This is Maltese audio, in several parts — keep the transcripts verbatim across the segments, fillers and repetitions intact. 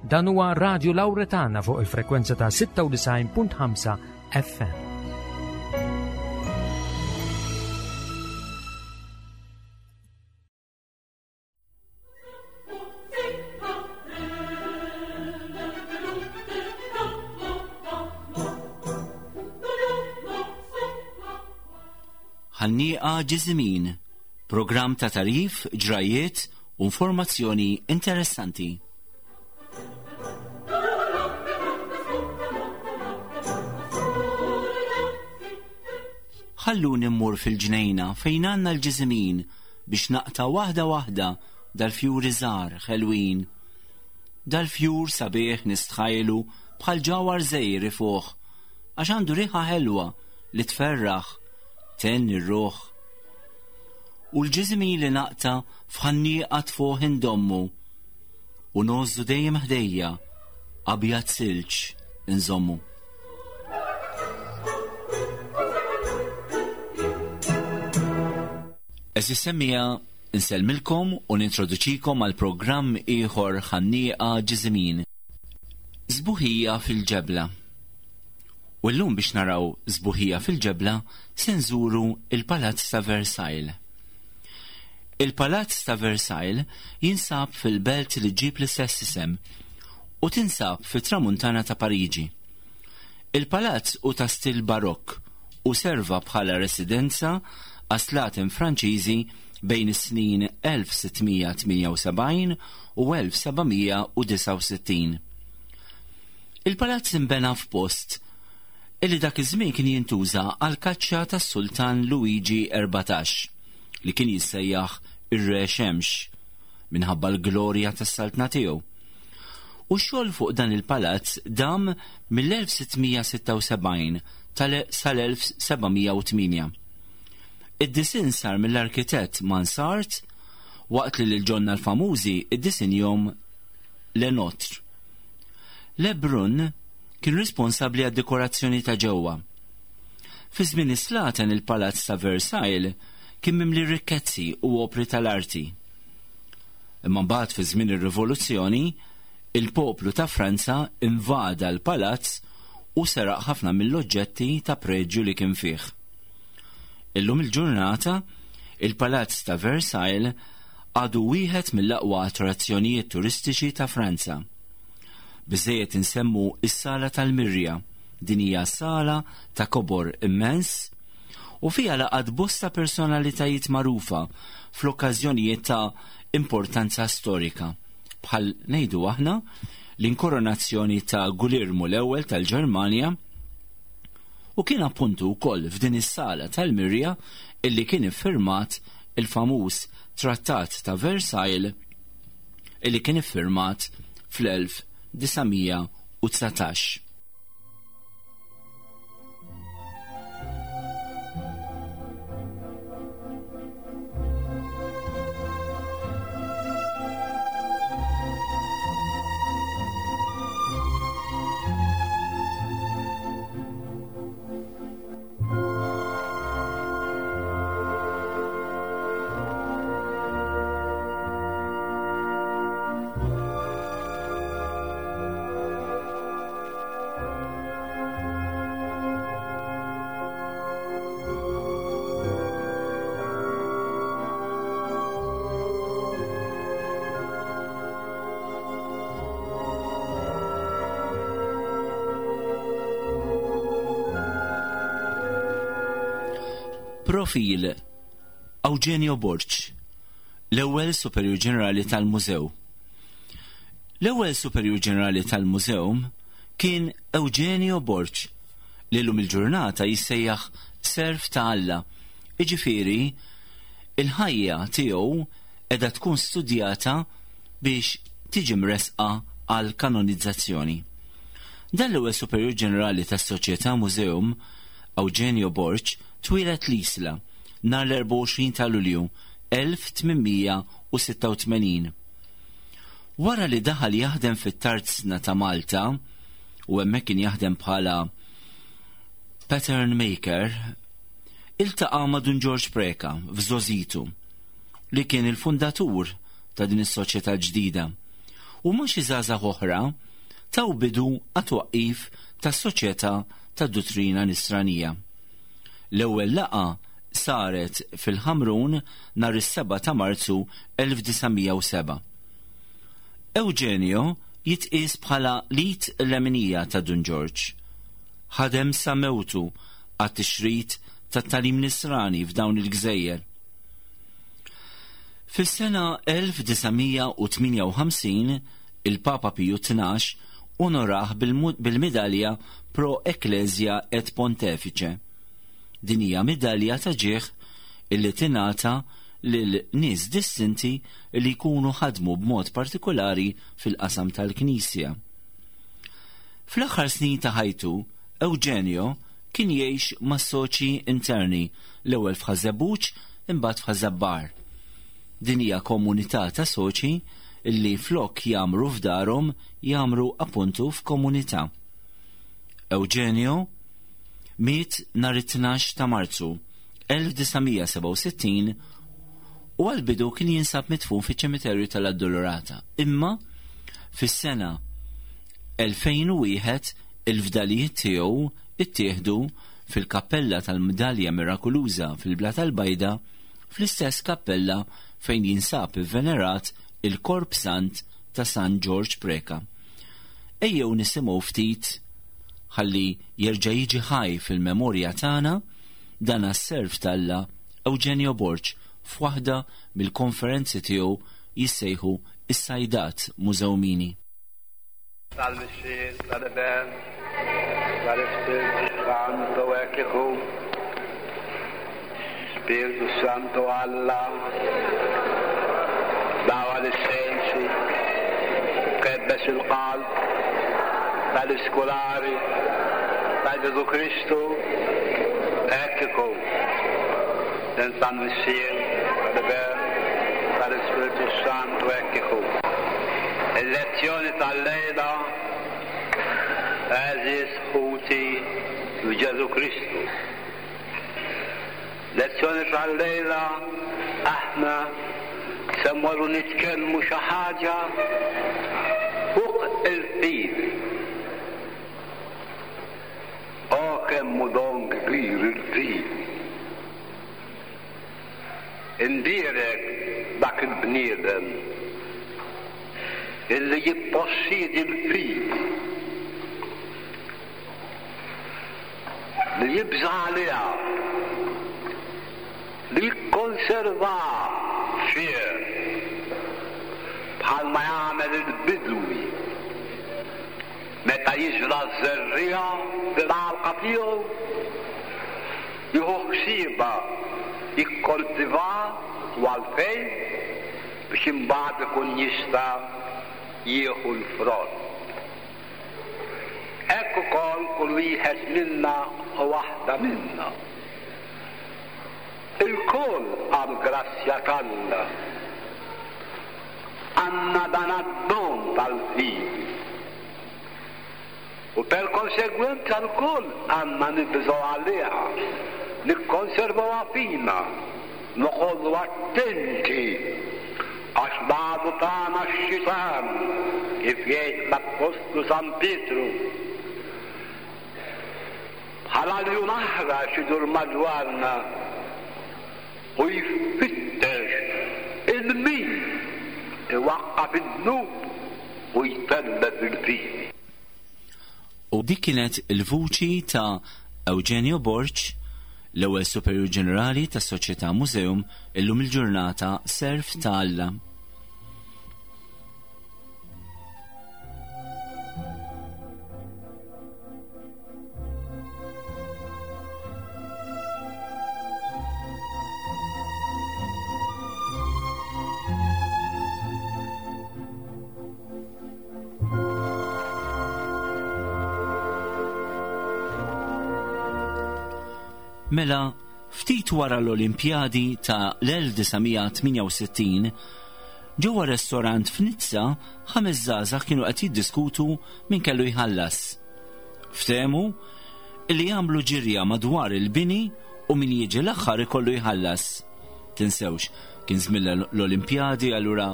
Dan huwa Radio Lauretana fuq il-frekwenza ta' sitta u disgħin punt ħamsa F M. Ħannieqa Ġiżimin, programm ta' tagħrif, ġrajiet u informazzjoni interessanti. Ħalluni mmur fil-ġnejna fejn għandna l-ġiżimin biex naqta' waħda waħda dal-fjuri żgħar ħelwin. Dal-fjur sabiħ nistħajlu bħal ġawhar żgħir ifuħ, għax għandu riħa ħelwa li tferraħ, thenni r-ruħ. U l-ġiżimin li naqta' f'ħannieqa tfuħ indommu u ngħożżu dejjem ħdejja, abjad silġ inżommu. Għeżież semmiegħa, insellmilkom u nintroduċikom għal programm ieħor, Ħannieqa Ġiżimin. Sbuħija fil-ġebla. U llum biex naraw sbuħija fil-ġebla se nżuru il-Palazz ta' Versailles. Il-Palazz ta' Versailles jinsab fil-belt li ġġib l-istess isem u tinsab fit-tramuntana ta' Pariġi. Il-palazz hu ta' stil barokk u serva bħala residenza għas-slaten Franċiżi bejn is-snin elf sitt mija tmienja u sebgħin u elf seba' mija u disgħa u sittin. Il-palazz imbena f'post illi dak iż-żmien kien jintuża għal kaċċa tas-Sultan Luigi erbatax, li kien jissejjaħ ir-Re Xemx minħabba l-glorja tas-saltna tiegħu. U x-xogħol fuq dan il-palazz dam mill-elf sitt mija sitta u sebgħin sal-elf seba' mija u tmienja. Id-disin sar mill-arkitett Mansart, waqt li l-ġonna l-famużi iddisinjahom Le Notre. Le Brun kien responsabli għad-dekorazzjoni ta' ġewwa. Fi żmien is-slaten, il-Palazz ta' Versailles kien mimli rikkezzi u opri tal-arti. Imma mbagħad, fi żmien ir-Rivoluzzjoni, il-poplu ta' Franza invada l-palazz u seraq ħafna mill-oġġetti ta' preġju li kien fih. Illum il-ġurnata, il-Palazz ta' Versailles għadu wieħed mill-aqwa attrazzjonijiet turistiċi ta' Franza. Biżejjed insemmu is-Sala tal-Mirja. Din hija sala ta' kobor immens u fiha laqat bosta personalitajiet magħrufa fl-okkażjonijiet ta' importanza storika, bħal, ngħidu aħna, l-inkoronazzjoni ta' Gulirmu l-ewwel tal-Ġermanja. U kien appuntu wkoll f'din is-sala tal-Mirja illi kien iffirmat il-famuż Trattat ta' Versailles, illi kien iffirmat fl-elf disa' mija u dsatax. Profil: Eugenio Borg, l-ewwel Superjur Ġenerali tal-Mużew. L-ewwel Superjur Ġenerali tal-Mużew kien Eugenio Borg, li llum il-ġurnata jissejjaħ Serv ta' Alla. Iġifieri, il-ħajja tiegħu qiegħda tkun studjata biex tiġi mresqa għal kanonizzazzjoni. Dan l-ewwel Superjur Ġenerali tas-Soċjetà Museum, Eugenio Borg, twieled l-Isla nhar l-erbgħa u għoxrin ta' Lulju elf tmien mija u sitta u tmenin. Wara li daħal jaħdem fit-tarzna ta' Malta u hemmhekk kien jaħdem bħala pattern maker, iltaqa' ma' Dun George Preka f'żgħożitu, li kien il-fundatur ta' din is-soċjetà ġdida. u ma' xi żgħażagħ oħra taw bidu għat-twaqqif tas-Soċjetà tad-Duttrina Nisranija. L-ewwel laqgħa saret fil-Ħamrun nhar is-sebgħa ta' Marzu elf disa' mija u sebgħa. Eugenio jitqies bħala l-id l-leminija ta' Dun Ġorġ. Ħadem sa mewtu għat-tixrid tat-tagħlim nisrani f'dawn il-gżejjer. Fis-sena elf disa' mija u tmienja u ħamsin il-Papa Piju tnax onorah bil-mu-, bil-midalja Pro Ecclesia et Pontifice. Din hija midalja ta' ġieħ illi tingħata lil nies distinti li jkunu ħadmu b'mod partikolari fil-qasam tal-Knisja. Fl-aħħar snin ta' ħajtu, Eugenio kien jgħix ma' soċi interni, l-ewwel f'Ħaż-Żebbuġ imbagħad f'Ħaż-Żabbar. Din hija komunità ta' soċi illi flok jagħmru f'darhom jagħmru appuntu f'komunità. Eugenio miet nhar it-tnax ta' Marzu elf disa' mija sebgħa u sittin u għall-bidu kien jinsab midfun fiċ-ċimiterju tal-Addolorata. Imma fis-sena elfejn u wieħed il-fdalijiet tiegħu ittieħdu fil-kappella tal-Midalja Mirakoluża fil-Bla tal-Bajda, fl-istess kappella fejn jinsab ivvenerat il-Korp Sant ta' San Ġorġ Preca. Ejjew nisimgħu ftit ħalli jerġa' jiġi ħaj fil-memorja tagħna dan għas-serv t'Alla Eugenio Borg f'waħda mill-konferenzi tiegħu jissejħu is-Sajdat Mużewmini. Tal-Missier, tal-Iben, tal-Ispirtu Santo hekk ikun. Spirtu Santo Alla, dawa l-sensi, kebbes il-qalb tal-iskolari ta' Ġesu Kristu, hekk ikun. Tal-Missier, tal-Iben, tal-Ispirtu Santo hekk ikun. Il-lezzjoni tal-lejla, għeżież ħuti u Ġesu Kristu. Lezzjoni tal-lejla aħna se mmorru nitkellmu xi ħaġa fuq il-fidi. O kemm hu don kbir il-fidi. Imbierek dak il-bniedem illi jippossidi l-fidi, li jibża' għaliha, li jikkonserva fih bħalma jagħmel il-bidwi meta jiżra' ż-żerriegħa fil-għalqa tiegħu, jieħu ħsiebha, jikkoltiva u għalfejn biex imbagħad ikun jista' jieħu l-frott. Hekk ukoll kull wieħed minna u waħda minna. Ilkoll għall-grazzja t'Alla għandna dan għad-don tal-fidi. U per konsegwenza lkoll għandna nibżgħu għaliha, nikkonservawha fina, noqogħdu attenti għax l-għadu tagħna x-xitan, kif jgħid l-Appostlu San Pietru, bħala ljun aħrax idur madwarna u jfittex il-min iwaqqaf id-dnub u jtellef il-fidi. U dik kienet il-vuċi ta' Eugenio Borg, l-ewwel Superjur Ġenerali tas-Soċjetà Museum, illum il-ġurnata Serv ta' Alla. Mela, ftit wara l-Olimpjadi ta' l-elf disa' mija tmienja u sittin, ġewwa restorant f'Nizza ħames żgħażagħ kienu qed jiddiskutu min kellu jħallas. Ftehmu li jagħmlu ġirja madwar il-bini u min jiġi l-aħħar ikollu jħallas. Tinsewx, kien żmien l-Olimpjadi, allura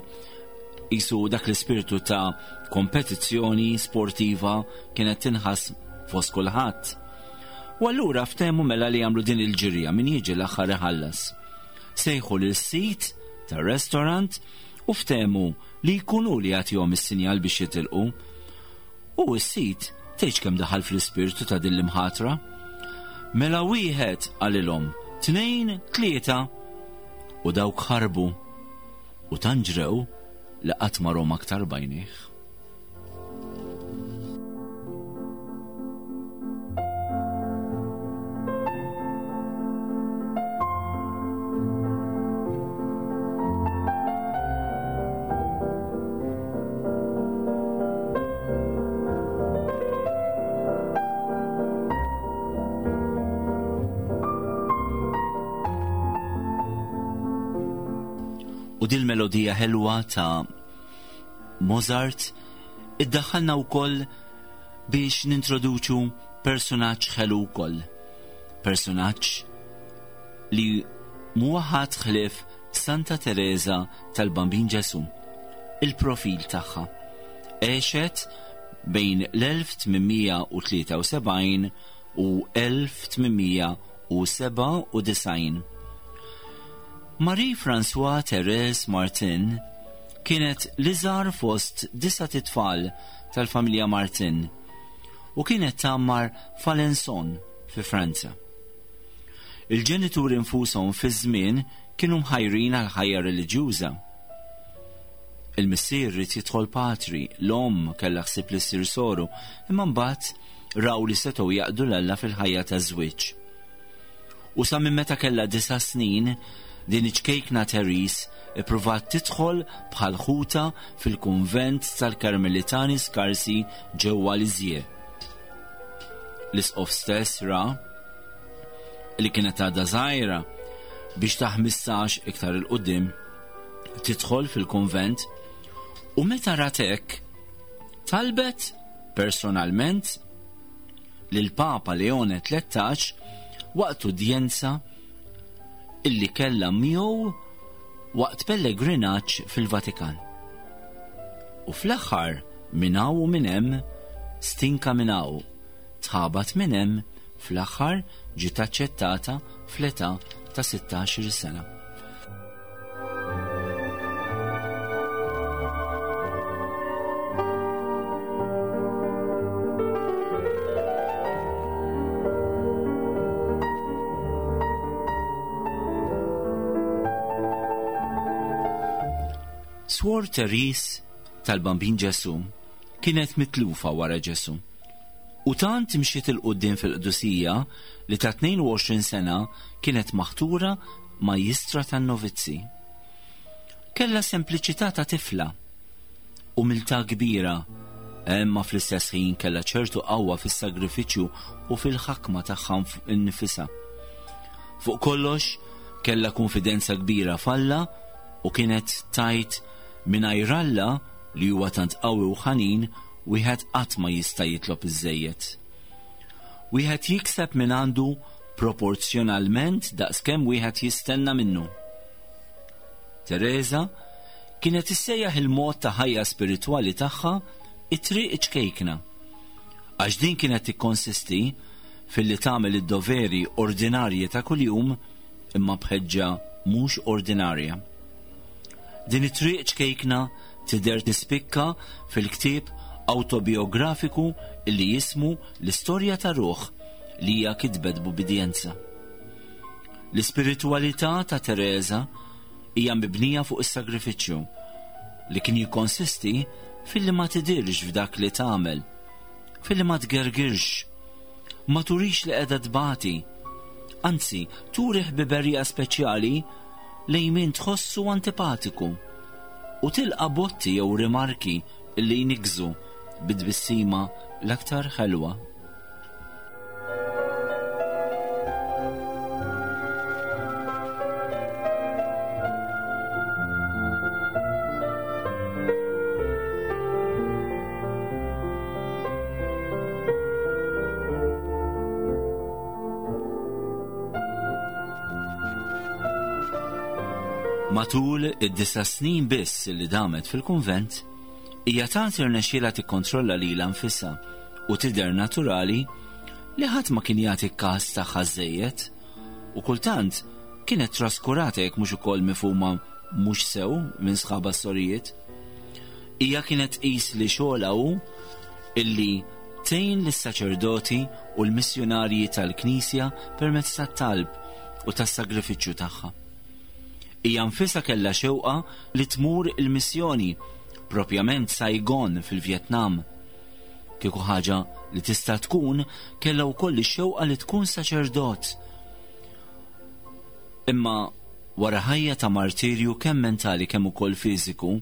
Isu dak l-ispirtu ta' kompetizzjoni sportiva kienet tinħass fost kulħadd. U allura ftehmu mela li jagħmlu din il-ġirja min jiġi l-aħħar iħallas. Sejħu lil sit tar-restaurant u ftehmu li jkunu li jagħtihom is-sinjal biex jitilqu. U s-sit tgħidx kemm daħal fl-ispirtu ta' din l-imħatra. Mela wieħed qalilhom, tnejn, tlieta, u dawk ħarbu u tanġrew li qatt ma rom aktar bajnih. U dil melodija ħelwa ta' Mozart iddaħħalna wkoll biex nintroduċu personaġġ ħelu wkoll. Personaġġ li mhuwa ħadd ħlief Santa Teresa tal-Bambin Ġesu. Il-profil tagħha għexet bejn l-elf tmien u tlieta u sebgħin u elf tmien u sebgħa u disgħin. Marie-François Thérèse Martin kienet l-iżgħar fost disa' tfal tal-familja Martin u kienet tgħammar f'Alençon fi Franza. Il-ġenituri nfushom fi żmien kienu mħajrin għal ħajja reliġjuża. Il-missier ried jidħol patri, l-omm kellha ħsieb li ssir soru, imma mbagħad raw li setgħu jaqdu 'l Alla fil-ħajja taż-żwieġ. U sa minn meta kellha disa' snin, din iċ-ċkejkna Therese ippruvat tidħol bħal ħuta fil-kunvent tal-Karmelitani Skarsi ġewwa Lisieux. L-isqof stess ra li kienet għadha żgħira biex ta' ħmistax iktar 'il quddiem tidħol fil-kunvent, u meta rat hekk talbet personalment lil Papa Leone tlettax waqt udjenza illi kellha miegħu waqt pellegrinaġġ fil-Vatikan. U fl-aħħar minn hawn u minn hemm, stinka minn hawn, tħabat minn hemm, fl-aħħar ġiet aċċettata fl-età ta' sittax-il sena. Swor Therese tal-Bambin Ġesu kienet mitlufa wara Ġesu. U tant imxiet il-quddiem fil-qdusija li ta' tnejn u għoxrin sena kienet maħtura majjistra tan-novizzi. Kellha sempliċità ta' tifla, umiltà kbira, imma fl-istess ħin kellha ċertu qawwa fis-sagrifiċċju u fil-ħakma tagħha nnifisha. Fuq kollox kellha konfidenza kbira f'Alla u kienet tajt mingħajr Alla li huwa tant qawwi u ħanin, wieħed qatt ma jista' jitlob iżżejjed. Wieħed jikseb minn għandu proporzjonalment daqskemm wieħed jistenna minnu. Teresa kienet issejjaħ il-mod ta' ħajja spiritwali tagħha it-triq ċkejkna, għax din kienet tikkonsisti filli tagħmel id-doveri ordinarji ta' kuljum imma b'ħeġġa mhux ordinarja. Din it-triq ċkejkna tidher tispikka fil-ktieb autobiografiku illi jismu L-Istorja ta' Ruħ li hija kitbet b'ubbidjenza. L-ispiritualità ta' Teresa hija mibnija fuq is-sagrifiċċju li kien jikkonsisti filli ma tidirx f'dak li tagħmel, filli ma tgergirx, ma turix li qiegħda tbati, anzi turi ħbiberija speċjali lejn min tħossu antipatiku u tilqa' botti jew rimarki li jnigżu bit-tbissima l-aktar ħelwa. Matul id-disa' snin biss li damet fil-kunvent, hija tant irnexxielha tikkontrolla lilha nfisha u tidher naturali li ħadd ma kien jagħti każ tagħha żejjed u kultant kienet traskurata jekk mhux ukoll mifhuma mhux sew minn sħabha s-sorijiet. Hija kienet tqis li xogħolha hu illi tgħin lis-saċerdoti u l-missjunarji tal-Knisja permezz tat-talb u tas-sagrifiċċju tagħha. Hija nfisha kellha xewqa li tmur il-missjoni, propjament Saigon fil-Vjetnam. Kieku ħaġa li tista' tkun kellha wkoll ix-xewqa li tkun saċerdot. Imma wara ħajja ta' martirju kemm mentali kemm ukoll fiżiku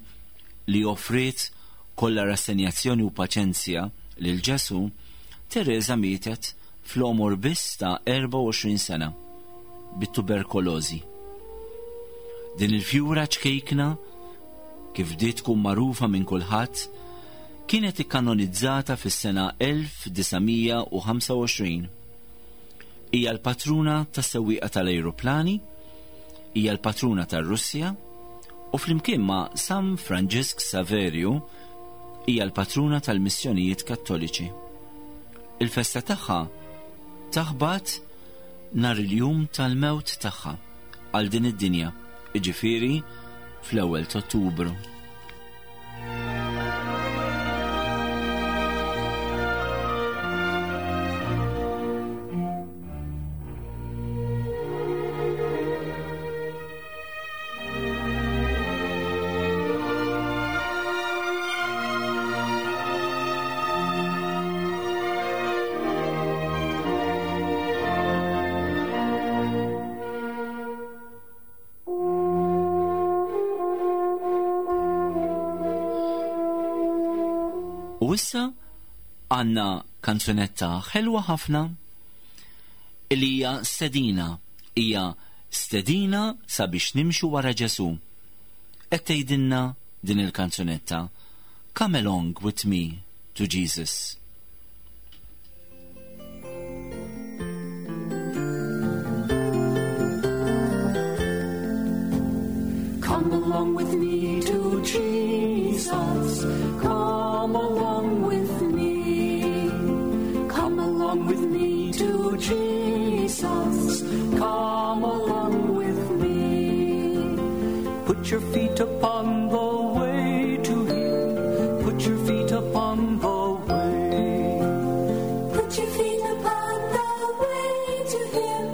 li offriet kollha rassenjazzjoni u paċenzja lil Ġesu, Teresa mietet fl-għomor biss ta' erbgħa u għoxrin sena bit-tuberkulożi. Din il-fjura ċkejkna, kif bdiet tkun magħrufa minn kulħadd, kienet ikkanonizzata fis-sena elf disa' mija u ħamsa u għoxrin. Hija l-patruna tas-sewwieqa tal-ajruplani, hija l-patruna tar-Russja u flimkien ma' San Franġisk Saverju hija l-patruna tal-missjonijiet kattoliċi. Il-festa tagħha taħbat nhar il-jum tal-mewt tagħha għal din id-dinja, jiġifieri fl-ewwel ta' Ottubru. U issa għandna kanzunetta ħelwa ħafna li hija stedina, hija stedina sabiex nimxu wara Ġesu. Qed tgħidilna din il-kanzunetta, Come along with me to Jesus. Come along with me to Jesus. Come along with me. Come along with me to Jesus. Come along with me. Put your feet upon the way to him. Put your feet upon the way. Put your feet upon the way to him.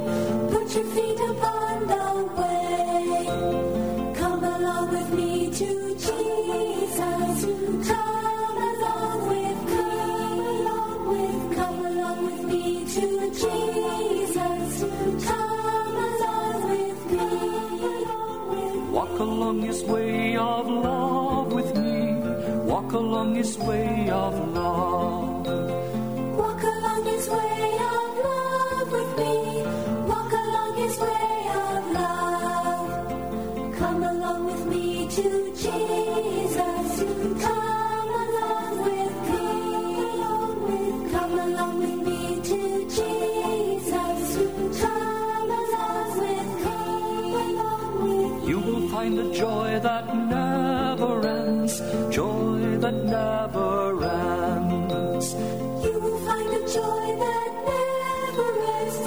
Put your feet upon the way. Come along with me to Jesus. Come along with me. Come along with me to Jesus. Come along with me. Walk along his way of love with me. Walk along his way of love. Walk along his way of love with me. Walk along his way of love. Come along with me to Jesus. Come along with me. Come along with me to Jesus. Come along with me. You will find a joy that never ends. Joy that never ends. You will find a joy that never ends.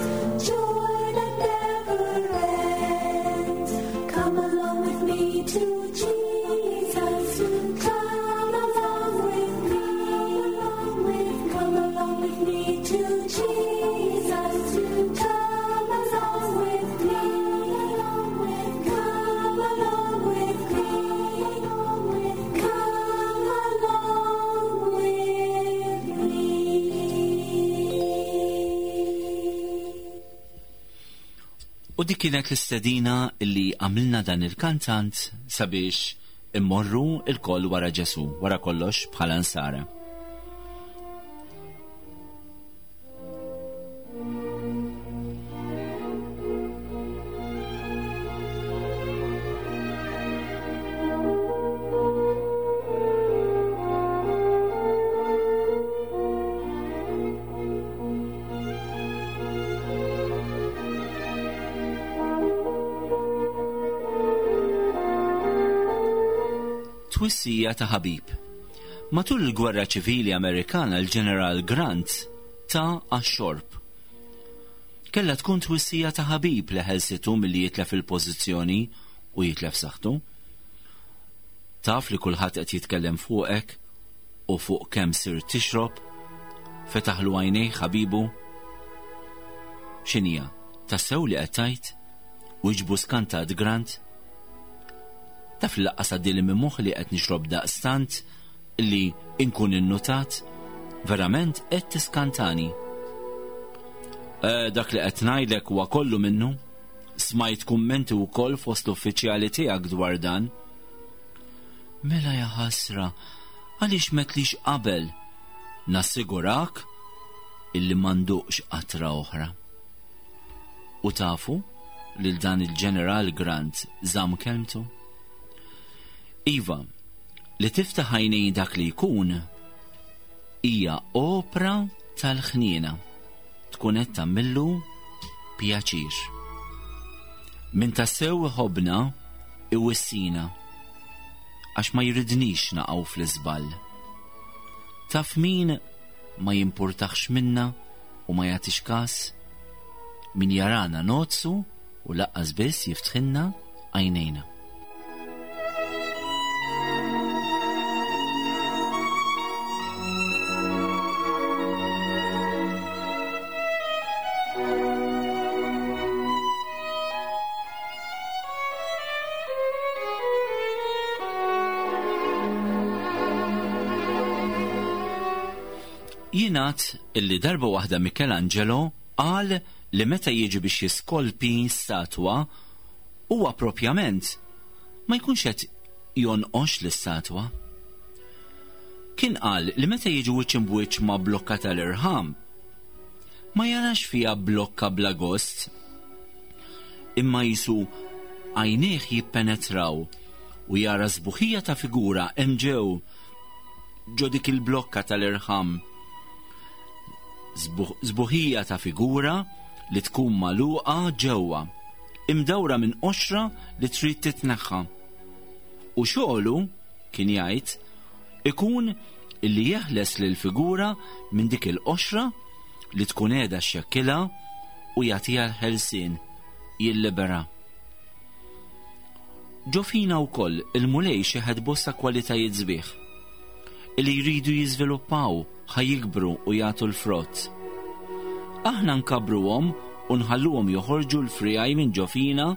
Joy that never ends. Come along with me to Jesus. Come along with me. Come along with me to Jesus. Come along with me. Come along with me. Come along with me. U dik kienet l-istedina li għamilna dan il-kantant sabiex immorru il-koll wara Ġesu, wara kollox bħala nsara. Twissija ta' ħabib. Matul il-Gwerra Ċivili Amerikana l-Ġeneral Grant ta' għax-xorb. Kellha tkun twissija ta' ħabib li ħelsitu milli jitlef il-pożizzjoni u jitlef saħħtu. Taf li kulħadd qed jitkellem fuqek u fuq kemm sir tixrob, fetaħlu għajnejh ħabibu. X'inhija, tassew li qed tgħid? Wieġbu skantat Grant. Taf li laqqas għaddieli minn moħħi li qed nixrob daqstant li inkun innutat, verament qed tiskantani. E, dak li qed ngħidlek huwa kollu minnu. Smajt kummenti wkoll fost l-uffiċjali tiegħek dwar dan. Mela ja ħasra, għaliex m'għedtlix qabel? Nassigurak illi m'għandux qatra oħra. U tafu lil dan il-Ġeneral Grant żamm kelmtu? Iva, li tiftaħ għajnejn dak li jkun hija opra tal-ħniena. Tkun qed tagħmillu pjaċir. Min tassew iħobbna iwissina għax ma jridnix naqgħu fl-iżball. Taf min ma jimpurtax minna u ma jagħtix każ? Min jarana nozzu u laqqas biss jiftħilna għajnejna. Jingħad illi darba waħda Michelangelo qal li meta jiġi biex jiskolpi statwa huwa propjament ma jkunx qed jonqox l-istatwa. Kien qal li meta jiġi wiċċ imbwiċċ ma' blokka tal-irħam ma jarax fiha blokka bla gost, imma jisu għajnejh jippenetraw u jara sbuħija ta' figura hemm ġew ġo dik il-blokka tal-irħam. Sbuħija ta' figura li tkun magħluqa ġewwa, imdawra minn qoxra li trid titneħħa. U xogħlu, kien jgħid, ikun illi jeħles lil figura minn dik il-qoxra li tkun qiegħda xxekkilha u jagħtiha l-ħelsien, jillibera. Ġo fina wkoll il-Mulej xeħet bosta kwalitajiet sbieħ illi jridu jiżviluppaw ħa jikbru u jagħtu l-frott. Aħna nkabruhom u nħalluhom joħorġu l-frijaj minn ġo fina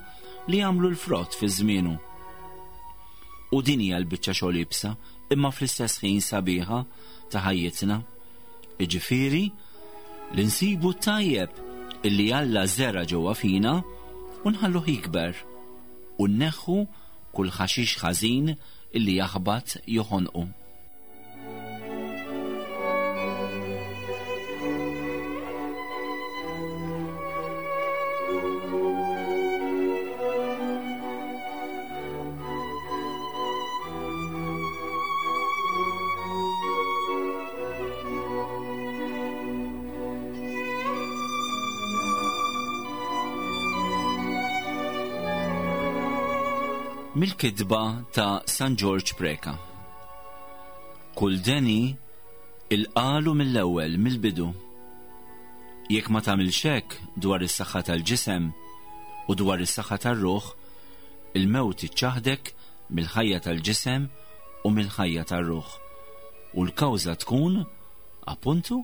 li jagħmlu l-frott fi żmienu. U din hija l-biċċa xogħol iebsa, imma fl-istess ħin sabiħa ta' ħajjitna. Jiġifieri li nsibu t-tajjeb illi Alla żera ġewwa fina u nħalluh jikber u nneħħu kull ħaxix ħażin illi jaħbat joħonqu. Mill-kitba ta' San Ġorġ Preca. Kull deni il-qalu mill-ewwel mill-bidu. Jekk ma tagħmilx hekk dwar is-saħħa tal-ġisem u dwar is-saħħa tar-ruħ, il-mewt iċċaħdek mill-ħajja tal-ġisem u mill-ħajja tar-ruħ. U l-kawża tkun, appuntu,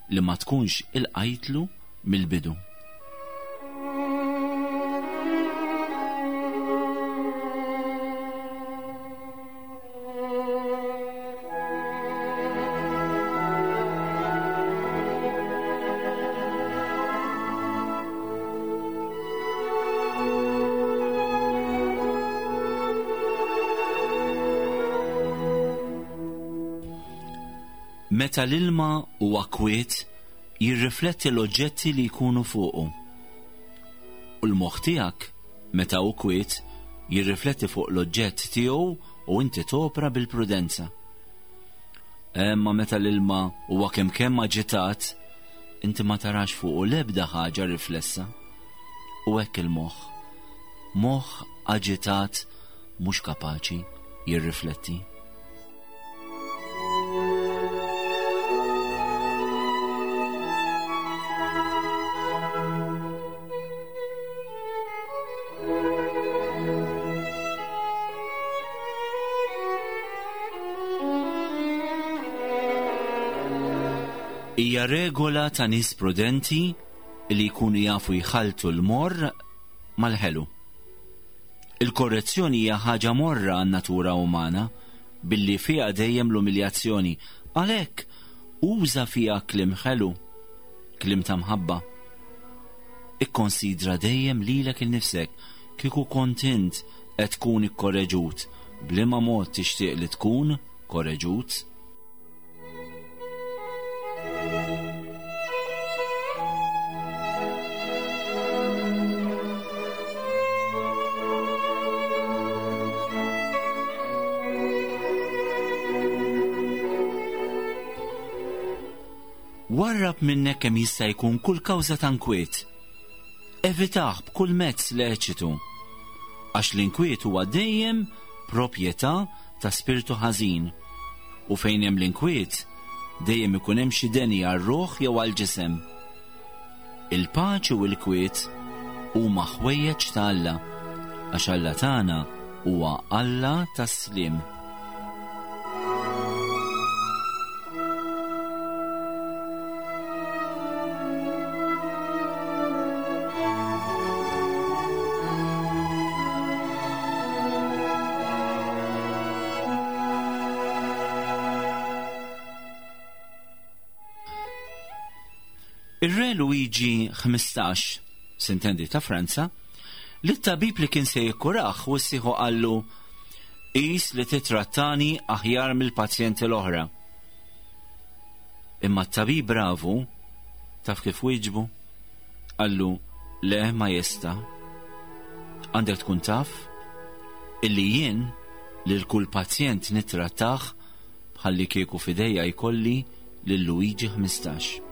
li ma tkunx il-qajtlu mill-bidu. Meta l-ilma huwa kwiet, jirrifletti l-oġġetti li jkunu fuqu. U l-moħħ tiegħek, meta hu kwiet, jirrifletti fuq l-oġġett tiegħu u inti topra bil-prudenza. Imma meta l-ilma huwa kemm kemm aġitat, inti ma tarax fuqu l-ebda ħaġa riflessa. U hekk il-moħħ. Moħħ aġitat mhux kapaċi jirrifletti. Hija regola ta' nies prudenti li jkunu jafu jħaltu l-morr mal-ħelu. Il-korrezzjoni hija ħaġa morra għan-natura umana billi fiha dejjem l-umiljazzjoni. Għalhekk uża fiha kliem ħelu, kliem ta' mħabba. Ikkonsidra dejjem lilek innifsek kieku kont int qed tkun ikkorreġut, b'liema mod tixtieq li tkun korreġut. Warrab minnek kemm jista' jkun kull kawża ta' nkwiet. Evitah b'kull mezz leċitu, għax l-inkwiet huwa dejjem proprjetà ta' spiritu ħażin, u fejn hemm l-inkwiet dejjem ikun hemm xi deni għar-ruħ jew għall-ġisem. Il-paċi u l-kwiet huma ħwejjeġ ta' Alla, għax Alla tagħna huwa Alla tas-sliem. Ir-re Luigi ħmistax, sintendi ta' Franza, li t-tabib li kien se jikkuraħ u s-siħu qallu qis li titrattani aħjar mill-pazjenti l-oħra. Imma t-tabib bravu, taf kif wieġbu? Qallu, le ma jista. Għandek tkun taf illi jien lil kull pazjent nittrattah bħalli kieku fidejja jkolli lil Luigi ħmistax.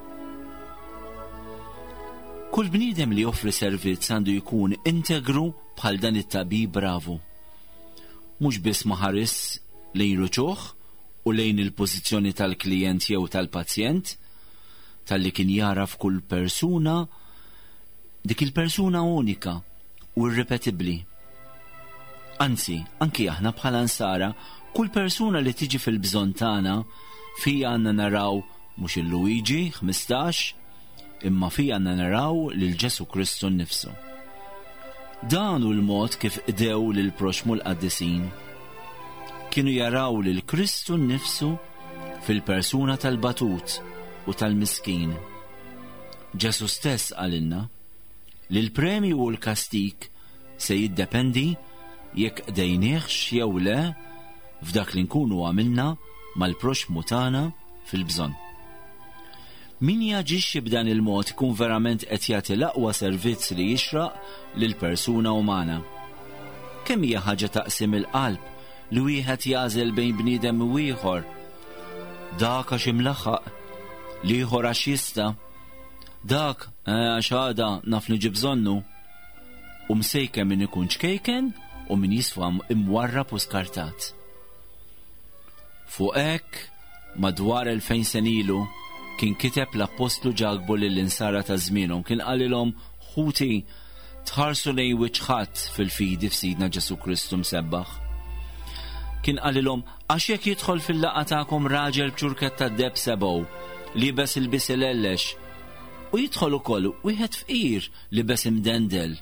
Kull bniedem li joffri servizz għandu jkun integru bħal dan it-tabib bravu. Mhux biss ma ħares lejn ruċuħ u lejn il-pożizzjoni tal-klijent jew tal-pazjent, talli kien jara f'kull persuna dik il-persuna unika u irripetibbli. Anzi, anki aħna bħala nsara, kull persuna li tiġi fil-bżonn tagħna fija għandna naraw mhux il-Luigi ħmistax, imma fija għandna naraw lil Ġesu Kristu nnifsu. Dan hu l-mod kif qdew lil proxmu l-qaddisin. Kienu jaraw lil Kristu nnifsu fil-persuna tal-batut u tal-miskin. Ġesu stess qalilna li l-premju u l-kastik se jiddependi jekk qdejniehx jew le f'dak li nkunu għamilna mal-proxmu tagħna fil-bżonn. Min jaġixxi b'dan il-mod ikun verament qed jagħti l-aqwa servizz li jixraq lil persuna umana. Kemm hija ħaġa taqsim il-qalb li wieħed jagħżel bejn bniedem u ieħor. Dak għax imlaħħaq, l-ieħor għax jista', dak għax għada naf li ġib bżonnu. U msejken min ikun ċkejken u min jisfa imwarrab u skartat. Fuq hekk madwar elfejn sena ilu kien kiteb l-Appostlu Ġakbu lill-insara ta' żmienhom, kien qalilhom ħuti tħarsu lejn wiċċ ħadd fil-fidi f'Sidna Ġesu Kristu msebbaħ. Kien qalilhom għax jekk jidħol fil-laqgħa tagħkom raġel b'ċurkett tad-deheb sebgħu libes ilbies ilellex, u jidħol ukoll wieħed fqir libes imdendel,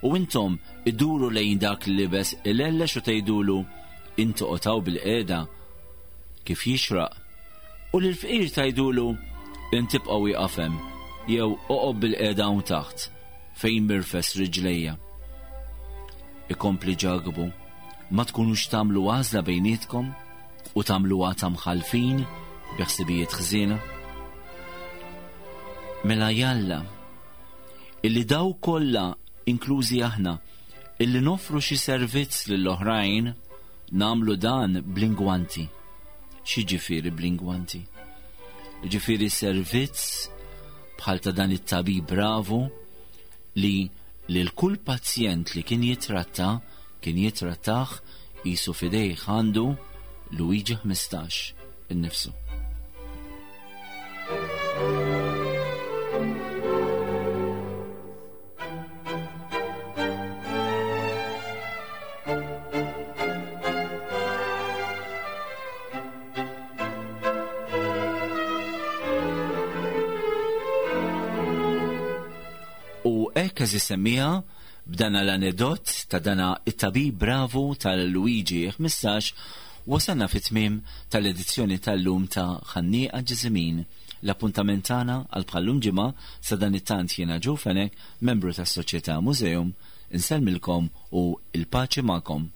u intom iduru lejn dak li libes ilellex u tgħidulu intu qotaw bil-qiegħda kif jixraq, u lill-fqir tgħidulu inti ibqa' wieqaf hemm jew oqgħod bil-qiegħda hawn taħt fejn mirfes riġlejja. Ikompli Ġakbu, ma tkunux tagħmlu għażla bejnietkom u tagħmluha ta' mħalfin bi ħsibijiet ħżiena? Mela jalla illi daw kollha inklużi aħna illi nofru xi servizz lill-oħrajn nagħmlu dan bl-ingwanti. Xi ġifieri bl-ingwanti? Ġifieri servizz bħal ta' dan it-tabib bravu li lil kull pazjent li kien jitratta kien jitrattah qisu f'idejh għandu Luigi ħmistax innifsu. Hekk, għeżież semmiegħa, b'dana l-anedot ta' dana it-tabib bravu tal-Luigi ħmistax, wasalna fit-tmiem tal-edizzjoni tal-lum ta' Ħannieqa Ġiżimin. L-appuntament tagħna għal bħallum ġimgħa. Sadanittant jiena Joe Fenech, membru tas-Soċjetà Museum, insellmilkom u il-paċi magħkom.